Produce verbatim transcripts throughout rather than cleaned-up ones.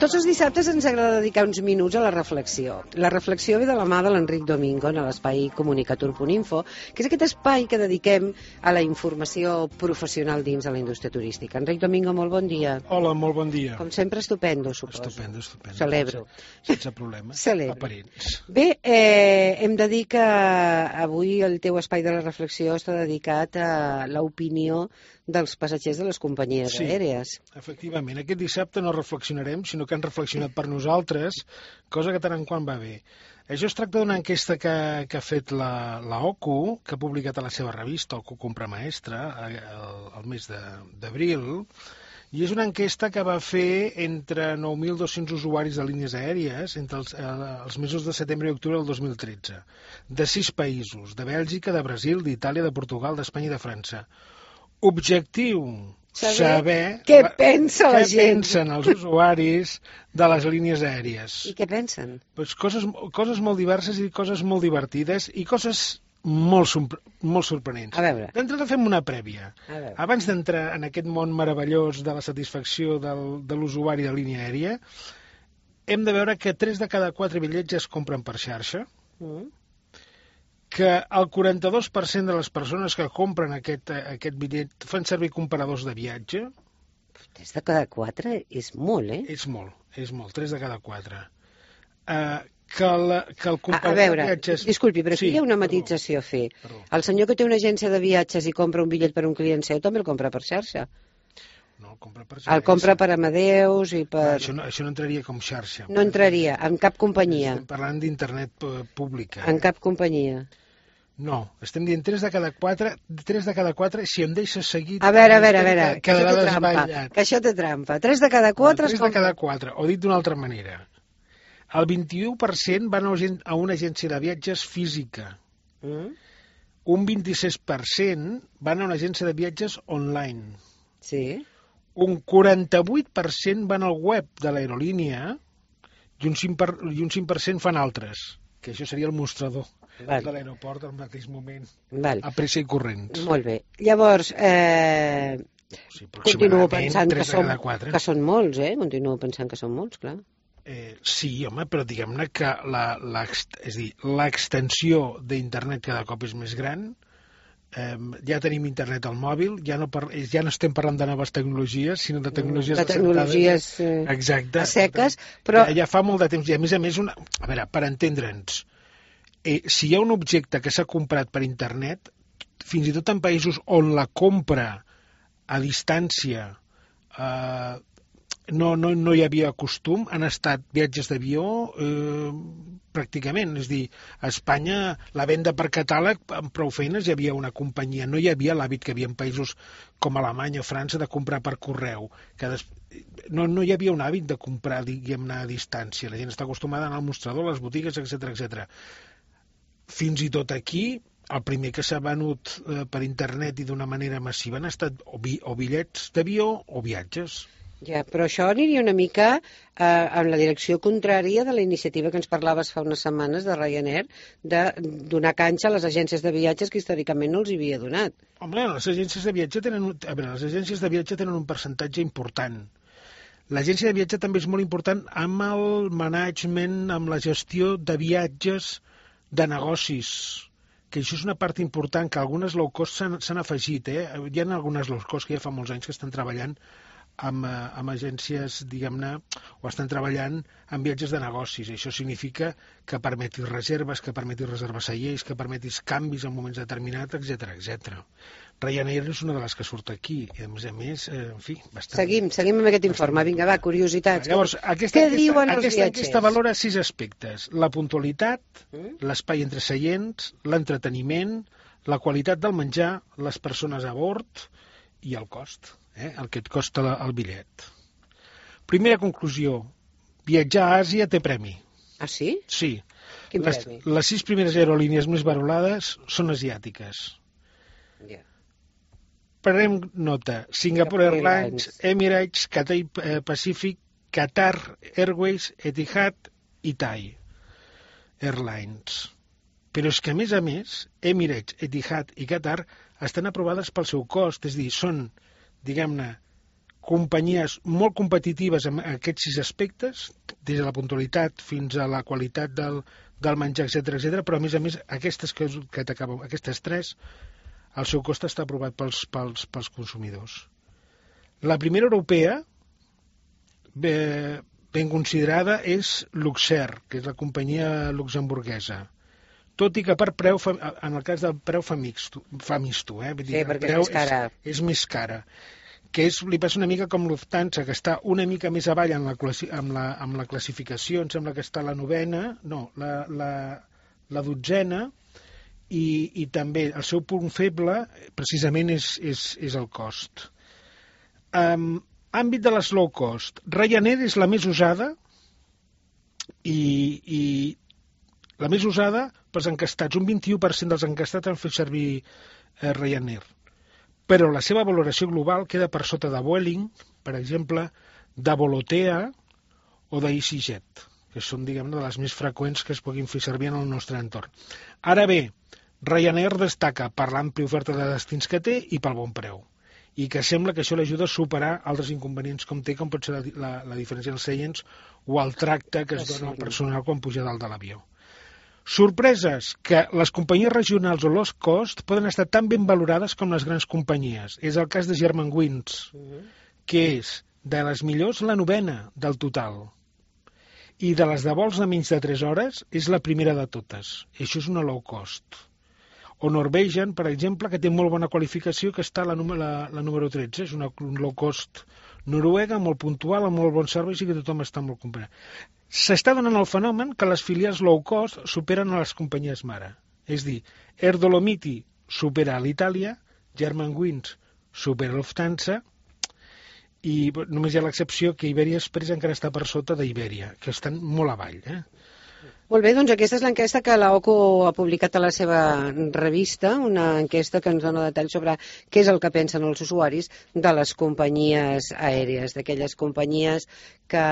Tots els dissabtes ens agrada dedicar uns minuts a la reflexió. La reflexió ve de la mà de l'Enric Domingo en l'espai comunicatur punt info, que és aquest espai que dediquem a la informació professional dins de la indústria turística. Enric Domingo, molt bon dia. Hola, molt bon dia. Com sempre, estupendo, suposo. Estupendo, estupendo. Celebro. Sense problemes. Celebro. Aparents. Bé, eh, hem de dir que avui el teu espai de la reflexió està dedicat a l'opinió dels passatgers de les companyies Sí, aèries. Efectivament, aquest dissabte no reflexionarem, sinó que han reflexionat per nosaltres, cosa que tant en quant va bé. Això es tracta d'una enquesta que, que ha fet la, la O C U, que ha publicat a la seva revista, O C U Compra Maestra, el, el mes d'abril, i és una enquesta que va fer entre nou mil dos-cents usuaris de línies aèries entre els, els mesos de setembre i octubre del dos mil tretze, de sis països, de Bèlgica, de Brasil, d'Itàlia, de Portugal, d'Espanya i de França. Objectiu, saber, saber què pensa la què gent. pensen els usuaris de les línies aèries. I què pensen? Pues coses, coses molt diverses i coses molt divertides i coses molt, molt sorprenents. A veure. D'entrada fem una prèvia. A veure. Abans d'entrar en aquest món meravellós de la satisfacció del, de l'usuari de línia aèria, hem de veure que tres de cada quatre bitllets es compren per xarxa, Mm. que el quaranta-dos per cent de les persones que compren aquest, aquest bitllet fan servir comparadors de viatge. Tres de cada quatre és molt, eh? És molt, és molt, tres de cada quatre. Uh, que, la, que el A, a comparador veure, de viatges... disculpi, però aquí Sí, hi ha una perdó, matització a fer. perdó. El senyor que té una agència de viatges i compra un bitllet per un client seu també el compra per xarxa. No, el compra per El compra per Amadeus i per... No, això, no, això no entraria com xarxa. No entraria en cap companyia. Estem parlant d'internet eh, pública. En cap companyia. No, estem dient tres de cada quatre, tres de cada quatre, si em deixes seguir... A veure, a veure, a veure, que això quedarà té trampa. desvetllat. Que això té trampa. Tres de cada quatre... Tres de cada quatre, o dit d'una altra manera. El vint-i-u per cent van a una agència de viatges física. Mm? Un vint-i-sis per cent van a una agència de viatges online. Sí. Un quaranta-vuit per cent van al web de l'aerolínia i un cinc per cent, i un cinc per cent fan altres, que això seria el mostrador Val. de l'aeroport al mateix moment, Val. a pressa i corrents. Molt bé. Llavors, eh, Sí, continuo aproximadament pensant que tres de són, cada quatre. que són molts, eh? Continuo pensant que són molts, clar. Eh, sí, home, però diguem-ne que la, la, és a dir, l'extensió d'internet cada cop és més gran. Eh, ja tenim internet al mòbil, ja no, par ja no estem parlant de noves tecnologies, sinó de tecnologies de tecnologies eh, exacte, a seques, però... Ja, ja fa molt de temps, i a més a més, una... a veure, per entendre'ns, eh, si hi ha un objecte que s'ha comprat per internet, fins i tot en països on la compra a distància eh, no, no, no hi havia costum, han estat viatges d'avió eh, pràcticament, és a dir, a Espanya la venda per catàleg, amb prou feines hi havia una companyia, no hi havia l'hàbit que hi havia en països com Alemanya o França de comprar per correu, que des... no, no hi havia un hàbit de comprar, diguem-ne, a distància, la gent està acostumada a anar al mostrador, a les botigues, etcètera, etcètera. Fins i tot aquí, el primer que s'ha venut eh, per internet i d'una manera massiva han estat o, bi o bitllets d'avió o viatges. Ja, però això aniria una mica eh, en la direcció contrària de la iniciativa que ens parlaves fa unes setmanes de Ryanair, de donar canxa a les agències de viatges que històricament no els havia donat. Home, les agències de viatge tenen un, a veure, les agències de viatge tenen un percentatge important. L'agència de viatge també és molt important amb el management, amb la gestió de viatges de negocis, que això és una part important, que algunes low cost s'han afegit. Eh? Hi ha algunes low cost que ja fa molts anys que estan treballant amb, amb agències, diguem-ne, o estan treballant en viatges de negocis. Això significa que permetis reserves, que permetis reservar seients, que permetis canvis en moments determinats, etcètera, etcètera. Ryanair és una de les que surt aquí, i a més a més, eh, en fi, bastant... Seguim, seguim amb aquest informe. Vinga, va, curiositats. Llavors, aquesta, Què aquesta, diuen els aquesta, viatgers? aquesta valora sis aspectes. La puntualitat, Mm? l'espai entre seients, l'entreteniment, la qualitat del menjar, les persones a bord i el cost, eh? el que et costa la, el bitllet. Primera conclusió, viatjar a Àsia té premi. Ah, sí? Sí. Quin Les, premi? les sis primeres aerolínies més valorades són asiàtiques. Ja. Prenem nota. Singapore Singapore Airlines, Emirates, Cathay Pacific, Qatar Airways, Etihad i Thai Airlines. Però és que, a més a més, Emirates, Etihad i Qatar estan aprovades pel seu cost, és a dir, són, diguem-ne, companyies molt competitives en aquests sis aspectes, des de la puntualitat fins a la qualitat del, del menjar, etcètera, etcètera, però a més a més aquestes, que, que t'acabo, aquestes tres, el seu cost està aprovat pels, pels, pels consumidors. La primera europea, ben, ben considerada, és Luxer, que és la companyia luxemburguesa. Tot i que per preu, en el cas del preu fa mixto, fa misto, eh? Vull dir, sí, perquè és més cara. És, és més cara. Que és, li passa una mica com Lufthansa, que està una mica més avall en la, amb, la, amb la classificació, em sembla que està la novena, no, la, la, la dotzena, i, i també el seu punt feble precisament és, és, és el cost. Um, àmbit de les low cost, Ryanair és la més usada i, i la més usada pels encastats. Un vint-i-u per cent dels encastats han fet servir eh, Ryanair. Però la seva valoració global queda per sota de Vueling, per exemple, de Volotea o d'EasyJet, que són, diguem-ne, de les més freqüents que es puguin fer servir en el nostre entorn. Ara bé, Ryanair destaca per l'àmplia oferta de destins que té i pel bon preu, i que sembla que això l'ajuda a superar altres inconvenients com té, com pot ser la, la, la diferència dels seients o el tracte que es dona al personal quan puja dalt de l'avió. Sorpreses, que les companyies regionals o low cost poden estar tan ben valorades com les grans companyies. És el cas de Germanwings, uh-huh. que és de les millors la novena del total. I de les de vols de menys de tres hores és la primera de totes. I això és una low cost. O Norwegian, per exemple, que té molt bona qualificació, que està la, la, la número tretze. És una low cost noruega, molt puntual, amb molt bons serveis i que tothom està molt comprat. S'està donant el fenomen que les filials low cost superen a les companyies mare. És dir, Air Dolomiti supera a l'Itàlia, Germanwings supera a Lufthansa, i només hi ha l'excepció que Iberia Express encara està per sota d'Iberia, que estan molt avall. Eh? Molt bé, doncs aquesta és l'enquesta que l'O C U ha publicat a la seva revista, una enquesta que ens dona detalls sobre què és el que pensen els usuaris de les companyies aèries, d'aquelles companyies que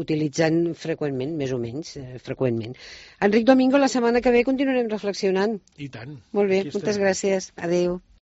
utilitzen freqüentment, més o menys, eh, freqüentment. Enric Domingo, la setmana que ve continuarem reflexionant. I tant. Molt bé, moltes gràcies. Adéu.